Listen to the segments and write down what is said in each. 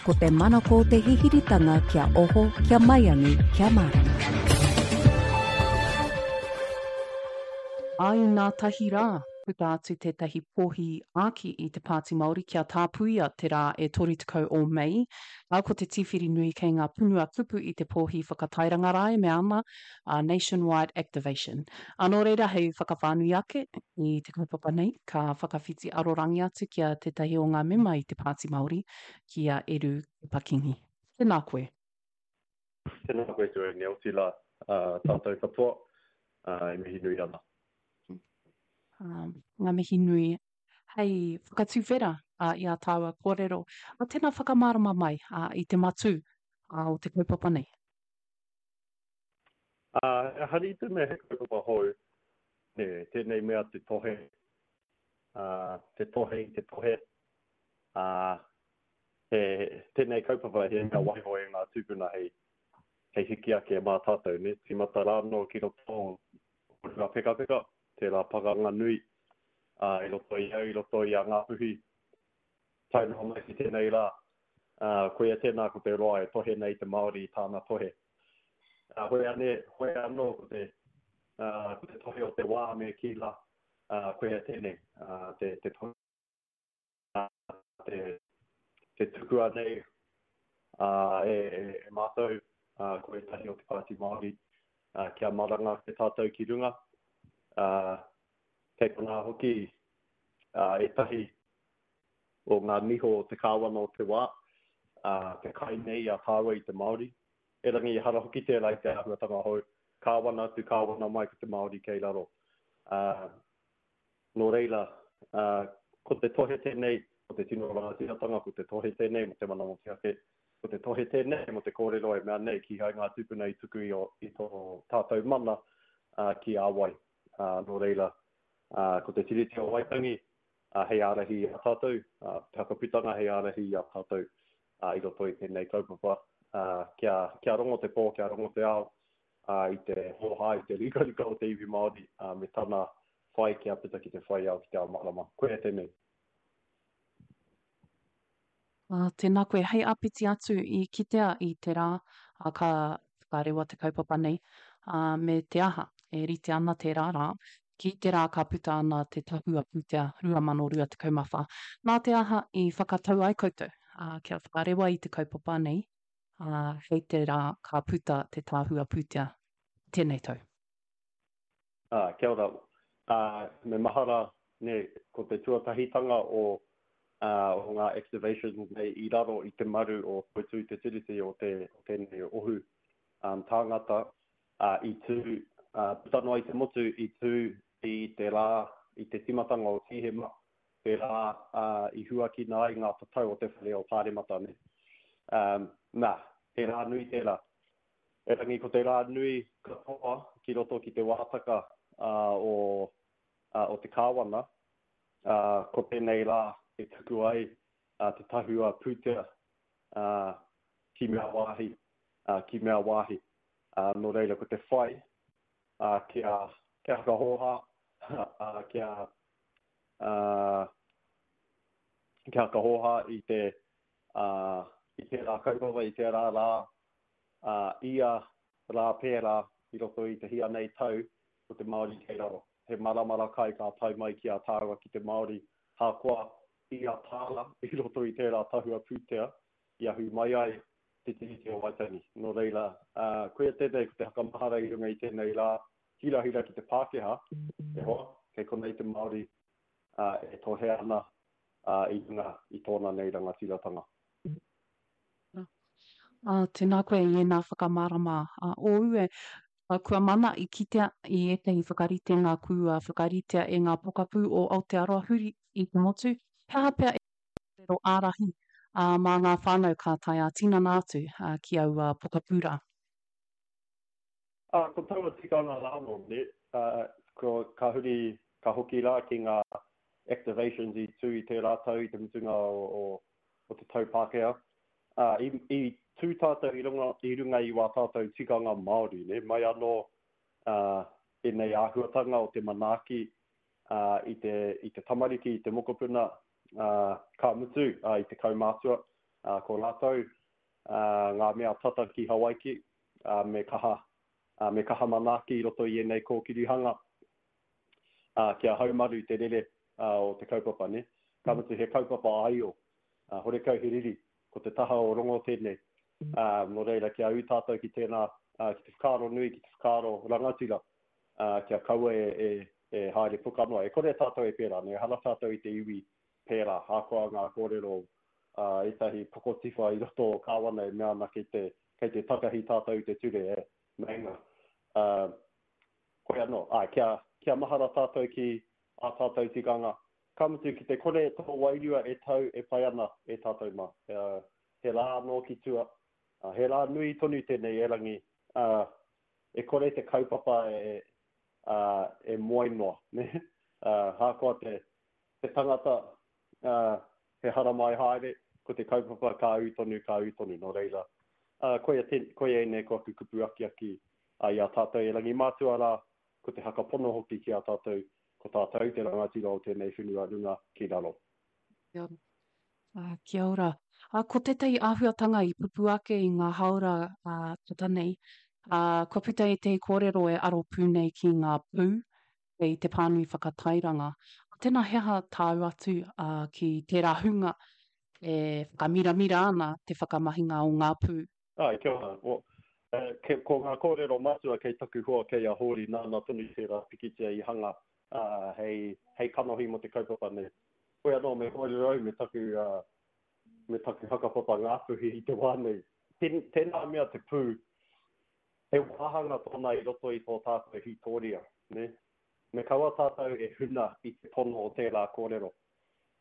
Ko te manako o te hihiritanga kia oho, kia maiangi, kia mārama. Ā inātahi rā, puta atu tētahi pōhi āki i te Pāti Māori kia tāpuia te rā e 30 o Mei, ā, ko te tīwhiri nui kei ngā punua kupu i te pōhi whakatairanga rā e mea ana, a Nationwide Activation. Ā, nō reira, hei whakawhānui ake i te kaupapa nei, ka whakawhiti arorangi atu ki a tētahi o ngā mema i te Pāti Māori, ki a Eru Kepa-Kingi. Tēnā koe. Tēnā koe Tuaine, otirā, tātou katoa, e mihi nui ana. Ngā mihi nui. Hei whakatuwhera i ā tāua kōrero, tēnā whakamārama mai i te matū o te kaupapa nei. Ā, ehara i te mea he kaupapa hou, nē, tēnei mea te tohe, ā, te tohe i te tohe, ā, he, tēnei kaupapa he mea waiho e ngā tūpuna hei, hei hiki ake mā tātou, nē, tīmata rānō ki roto o Ruapekapeka, tērā pakanga nui, ā, i roto i au, i roto i a Ngāpuhi, tae noa mai ki tēnei rā, ā, koia tēnā ko te roa e tohe nei te Māori i tāna tohe. Ā, hoi anē, hoi anō ko te, ā, ko te tohe o te wā me kī rā, ā, koia tēnei, ā, te, te tohe, ā, te, te tukua nei, ā, e, e, e mātou, ā, ko ētahi o te Pāti Māori, ā, kia maranga ake tātou ki runga, ā, kei konā hoki, ā, ētahi o ngā niho o te kāwana o te wā, ā, te kai nei a tāua i te Māori. Erangi ehara hoki tērā i te āhuatanga hou, kāwana atu, kāwana mai ko te Māori kei raro. Ā, nō reira, ā, ko te tohe tēnei, ko te tino rangatiratanga, ko te tohe tēnei mō te mana motuhake, ko te tohe tēnei mō te kōrero e mea nei kīhai ngā tūpuna i tuku i ō, i tō tātou mana, ā, ki a wai. Ā, nō reira, ā, ko te Tiriti o Waitangi, ā, hei ārahi i a tātou, ā, te whakaputanga hei ārahi i a tātou, ā, i roto i tēnei kaupapa, ā, kia, kia rongo te pō, kia rongo te ao, ā, i te hōhā, i te rikarika o te iwi Māori, ā, me tana whai kia puta ki te whai ao, ki te ao mārama. Koia tēnei. Ā, tēnā koe. Hei āpiti atu, i kitea i te rā, ā, ka whakarewa te kaupapa nei, ā, me te aha, e rite ana tērā rā, ki te rā ka puta ana te Tahua Pūtea 2024. Nā te aha i whakatau ai koutou, ā, kia whakarewa i te kaupapa nei, ā, hei te rā ka puta te Tahua Pūtea i tēnei tau? Ā, kia ora. Ā, me mahara, nē, ko te tuatahitanga o, ā, o ngā activations nei i raro i te maru o Toitū Te Tiriti o te, o tēnei ohu, ā, tāngata, ā, i tū, ā, puta noa i te motu, i tū i te rā, i te tīmatanga o Tīhema, te rā, ā, i huakina ai ngā tatau o te whare o Pāremata, nē. Ā, nā, he rā nui tērā. Erangi ko te rā nui katoa ki roto ki te wātaka o o te Kāwana, ko tēnei rā e tuku ai te tahua pūtea ki mea wāhi, ki mea wāhi. Nō reira ko te whai kia kia whakahōhā, kia kia whakahōhā i te i tērā kaupapa, i tērā rā ā, ia rā pērā i roto i te hia nei tau, ko te Māori kei raro. He maramara kai ka tae mai ki a tāua ki te Māori, hākoa ia tāra i roto i tērā tahua pūtea i ahu mai ai te Tiriti o Waitangi. Nō reira, ā, koia tēnei ko te whakamahara i runga i tēnei rā hirahira ki te Pākehā, e hoa, kei konei te Māori, ā, e tohe ana, ā, i runga i tōna nei rangatiratanga. Ā, tēnā koe i ēnā whakamārama ōu e. Kua mana i kitea i ētahi whakaritenga kua whakaritea e ngā pokapū o Aotearoa huri i te motu, he aha pea ētahi kōrero ārahi mā ngā whānau ka tae ā-tinana atu ki aua pokapū rā? Ā, ko taua tikanga rānō, nē, ā, ko, ka huri, ka hoki rā ki ngā activations i tū i tērā tau i te mutunga o, o, o te tau Pākehā. Ā, i, i tū tātou i runga, i runga i wā tātou tikanga Māori, nē, mai anō, ā, ēnei āhuatanga o te manaaki, ā, i te, i te tamariki, i te mokopuna, ā, ka mutu, ā, i te kaumātua. Ā, ko rātou, ā, ngā mea tata ki Hawaiki, ā, me kaha, ā, me kaha manaaki i roto i ēnei kōkirihanga, ā, kia haumaru te rere, ā, o te kaupapa, nē. Ka mutu he kaupapa āio, ā, horekau he riri, ko te taha o Rongo tēnei. Ā, nō reira, kia ū tātou ki tēnā, ā, ki te whakaaro nui, ki te whakaaro rangatira, ā, kia kaua e, e, e haere puka noa. E kore tātou e pērā, nē, ehara tātou i te iwi pērā, ahakoa ngā kōrero a ētahi pokotiwha i roto o Kāwana e mea ana kei te, kei te takahi tātou i te ture, e, meinga. Ā, koe anō, āe, kia, kia mahara tātou ki ā tātou tikanga, ka mutu ki te kore tō wairua e tau e pai ana e tātou mā. Ā, he rā anō ki tua, ā, he rā nui tonu tēnei erangi, ā, e kore te kaupapa e, ā, e moe noa, nē? Ā, ahakoa te, te tangata, ā, he haramai haere, ko te kaupapa ka ū tonu, ka ū tonu, nō reira, ā, koia tē, koia ēnei ko aku kupu akiaki, ā, i a tātou erangi mātua rā, ko te hakapono hoki ki a tātou, ko tātou te rangatira o tēnei whenua runga ki raro. Kia ora. Ā, kia ora. Ā, ko tētahi āhuatanga i pupū ake i ngā hāora, ā, tata nei, ā, kua puta ētahi kōrero e aro pū nei ki ngā pū, kei te pānui whakatairanga. Tēnā he aha tāu atu ki tērā hunga e whakamiramira ana te whakamahinga o ngā pū? Āe, kia ora. Well, ko ngā kōrero matua kei taku hoa kei a Hōri, nāna tonu tērā pikitia i hanga hei, hei kanohi mō te kaupapa nei. Koe anō me kōrero au me taku, me taku hakapapa Ngāpuhi i te wā nei. Tēnā mea te pū, He wāhanga tōna i roto i tō tātou hītōria, nē? Me kaua tātou e huna i te pono o tērā kōrero,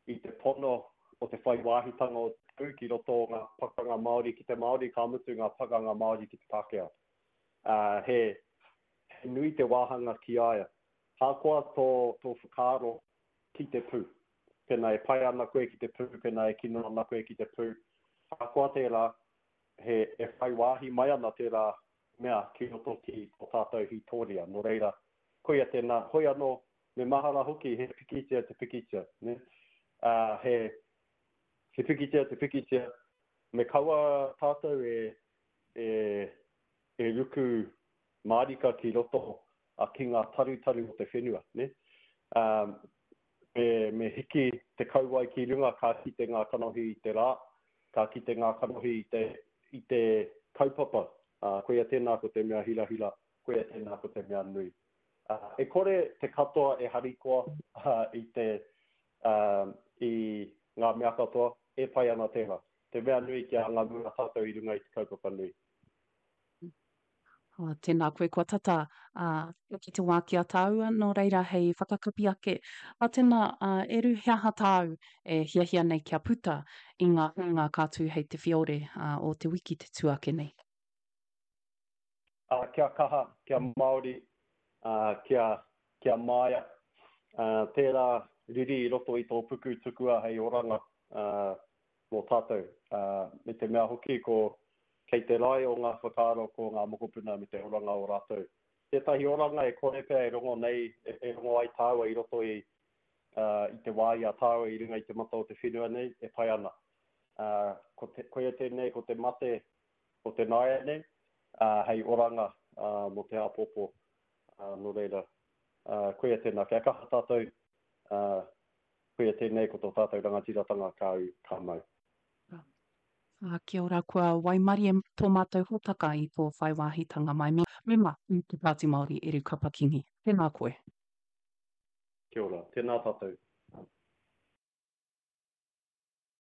i te pono o te whai wāhitanga o te pū ki roto o ngā pakanga Māori ki te Māori, ka mutu ngā pakanga Māori ki te Pākehā. Ā, he, he nui te wāhanga ki a ia. Ahakoa tō, tō whakaaro ki te pū, pēnā e pai ana koe ki te pū, pēnā e kino ana koe ki te pū, ahakoa tērā, he, e whai wāhi mai ana tērā mea ki roto ki tō tātou hītōria. Nō reira, koia tēnā. Hoi anō, me mahara hoki he pikitia te pikitia, nē? Ā, he, he pikitia te pikitia, me kaua tātou e, e, e ruku mārika ki roto a, ki ngā tarutaru o te whenua, nē? Ā, me, me hiki te kauae ki runga ka kite ngā kanohi i te rā, ka kite ngā kanohi i te, i te kaupapa, ā, koia tēnā ko te mea hirahira, koia tēnā ko te mea nui. Ā, e kore te katoa e harikoa, ā, i te, ā, i ngā mea katoa, e pai ana tērā. Te mea nui kia anga mua tātou i runga i te kaupapa nui. Oh, tēnā koe, kua tata ā, ki te wā ki a tāua, nō reira hei whakakapi ake. Ā, tēnā, ā, Eru, he aha tāu e hiahia nei kia puta i ngā huinga ka tū hei te whiore ā, o te wiki te tū ake nei? Ā, kia kaha, kia Māori, ā, kia, kia māia. Ā, tērā riri i roto i tō puku tukua hei oranga, ā, mō tātou. Ā, me te mea hoki ko, kei te rae o ngā whakaaro ko ngā mokopuna me te oranga o rātou. Tētahi oranga e kore pea e rongo nei, e rongo ai tāua i roto i, ā, i te wā i a tāua i runga i te mata o te whenua nei, e pai ana. Ā, ko te, koia tēnei ko te mate o te nāianei, ā, hei oranga, ā, mō te āpōpō. Ā, nō reira, ā, koia tēnā, kia kaha tātou, ā, Koia tēnei ko tō tātou rangatiratanga ka ū, ka mau. Ā, kia ora, kua waimarie tō mātou hōtaka i tō whai wāhitanga mai. Me mema i te Pāti Māori Eru Kapa Kingi. Tēnā koe. Kia ora, tēnā tātou.